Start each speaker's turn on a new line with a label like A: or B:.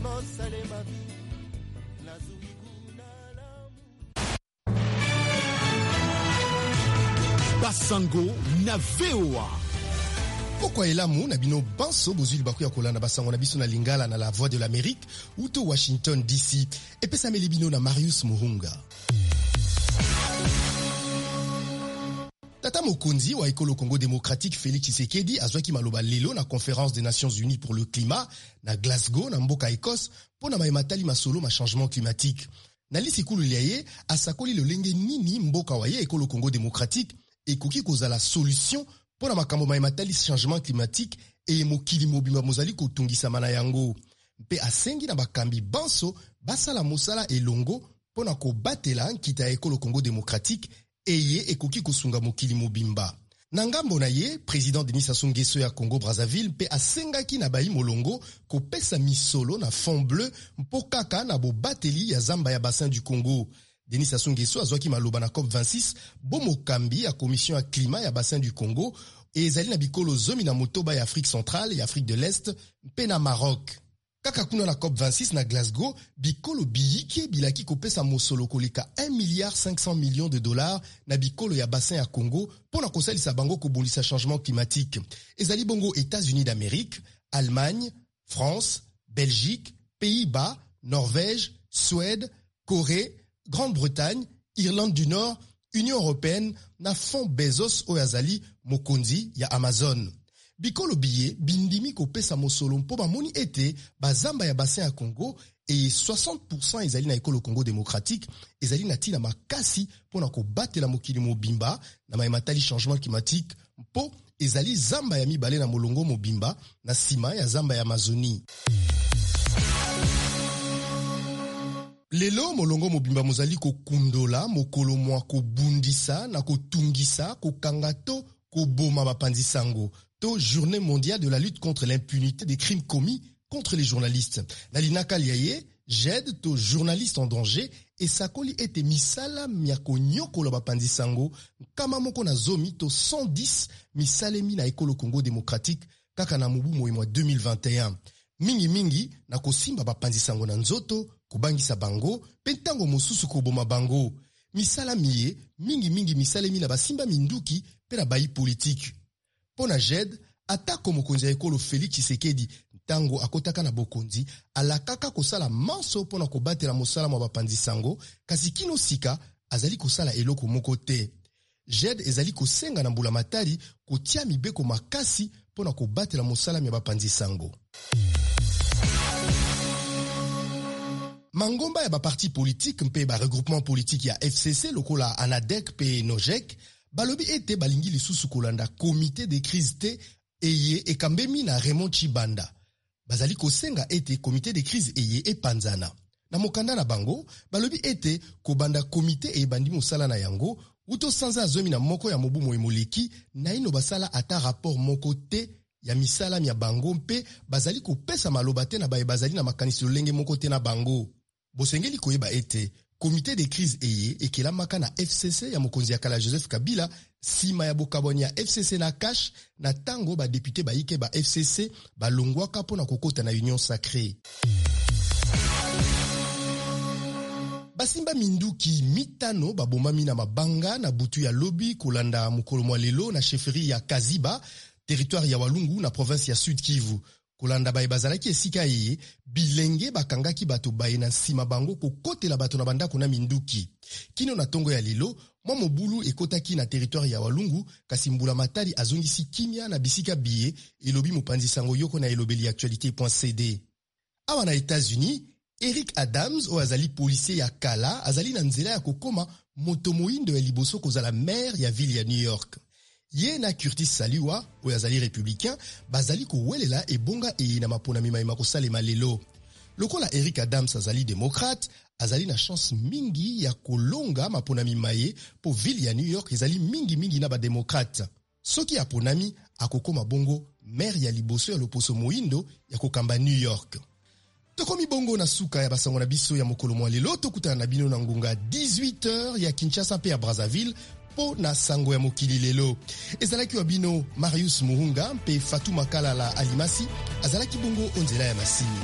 A: Ekosalema nazwi kuna lamu.
B: Basango na VOA.
C: Pokwa elamu na bino banso bozwi libaku ya kolanda basango na biso na lingala na la Voix de l'Amérique uto Washington DC. Epesameli bino na Marius Muhunga. Tata mokonzi wa ekolo Congo démocratique Félix Tshisekedi azwaki maloba lelo na conférence des Nations Unies pour le climat na Glasgow na mboka Écosse mpo na maye matali masolo ma changement climatique. Na lisikulu lya ye asakoli lolenge nini mboka wa ye ekolo Congo démocratique ekoki kozala solution mpo na makambo maye matali changement climatique eye mokili mobimba mozali kotungisama na yango, mpe asengi na bakambi banso basala mosala elongo mpo na kobatela nkita ya ekolo Congo démocratique eye ekoki kosunga mokili mobimba. Na ngambo na ye, président Denis Sassou Nguesso ya Congo Brazzaville mpe asengaki na bayi molongo kopesa misolo na Fond Bleu mpo kaka na bobateli ya zamba ya bassin du Congo. Denis Sassou Nguesso azwaki maloba na COP26 bo mokambi ya commission ya climat ya bassin du Congo ezali na bikolo 16 ya Afrique centrale, ya Afrique de l'Est mpe na Maroc. Kaka kuna na COP26 na Glasgow, bikolo biyike bilaki kopesa mosolo koleka 1 milliard 500 millions de dollars na bikolo ya bassin ya Congo mpo na kosalisa bango kobundisa changement climatique. Ezali bongo États-Unis d'Amérique, Allemagne, France, Belgique, Pays-Bas, Norvège, Suède, Corée, Grande-Bretagne, Irlande du Nord, Union européenne na Fonds Bezos oyo azali mokonzi ya Amazon. Bikolo biye bindimi kopesa mosolo mpo bamoni ete bazamba ya bassin ya Congo eye 60% ezali na ekolo Congo démocratique ezali na ntina makasi mpo na kobatela mokili mobimba na maye matali changement climatique, mpo ezali zamba ya mibale na molongo mobimba na nsima ya zamba ya Amazonie. Lelo molongo mobimba mozali kokundola mokolo mwa kobundisa na kotungisa, kokanga to koboma bapanzi sango, to Journée mondiale de la lutte contre l'impunité des crimes commis contre les journalistes. Na linaka lia ye, JED to Journaliste en danger esakoli ete misala mya konyokola bapanzi sango 110 to 110 misalemi na ekolo Congo démocratique kaka na mobu moyi mwa 2021. Mingimingi na kosimba bapanzi sango na nzoto, kobangisa bango mpe ntango mosusu koboma bango. Misala miye mingimingi misalemi na basimba minduki mpe na bayi politike. Mpo na JED, atako mokonzi ya ekolo Félix Tshisekedi ntango akotaka na bokonzi alakaka kosala manso mpo na kobatela mosala mwa bapanzi sango, kasi kino sika azali kosala eloko moko te. JED ezali kosenga na mbula matari kotia mibeko makasi mpo na kobatela mosala mya bapanzi sango. Mangomba ya baparti politique mpe baregroupement politique ya FCC lokola ANADEC mpe NOGEC balobi ete balingi lisusu kolanda comité de crise te eye ekambemi na Raymond Tshibanda. Bazali kosenga ete comité de crise eye epanzana. Na mokanda na bango balobi ete kobanda comité eyebandi mosala na yango uto sanza ya 11 ya mobu moye moleki, naino basala ata rapport moko te ya misala mya bango mpe bazali kopesa maloba te na baye bazali na makanisi lolenge moko te na bango. Bosengeli koyeba ete comité de crise eye ekelamaka na FCC ya mokonzi ya kala Joseph Kabila nsima ya bokabwani ya FCC na CACH na ntango badepute bayike ba FCC balongwaka mpo na kokota na Union Sacrée. Basimba minduki 5 babomami na mabanga na butu ya lobi kolanda mokolo mwa lelo na chefferie ya Kaziba, territoire ya Walungu na province ya Sud Kivu. Kolanda baye bazalaki esika eye, bilenge bakangaki bato baye na nsima bango kokotela bato na bandako na minduki. Kino na ntongo ya lelo, mwa mobulu ekotaki na territoire ya Walungu, kasi mbula matari azongisi kimia na bisika biye, elobi mopanzi sango yoko na elobeli actualité.cd. Awa na États-Unis, Eric Adams oyo azali policier ya kala azali na nzela ya kokoma moto moyindo ya liboso kozala maire ya ville ya New York. Ye na Curtis Saliwa oyo azali républicain bazali kowelela ebonga eye na maponami mayema kosalema lelo. Lokola Eric Adams azali démocrate, azali na chance mingi ya kolonga maponami maye po ville ya New York ezali mingi mingi na ba démocrate. Soki aponami akokoma bongo maire ya liboso ya loposo moyindo ya kokamba New York. Tokomi bongo na suka ya basango na biso ya mokolo mwa lelo. Tokutana na bino na ngonga 18h ya Kinshasa mpe ya Brazzaville mpo na sango ya mokili lelo. Ezalaki wa bino Marius Muhunga mpe Fatou Makalala Alimasi azalaki bongo onzela ya masini.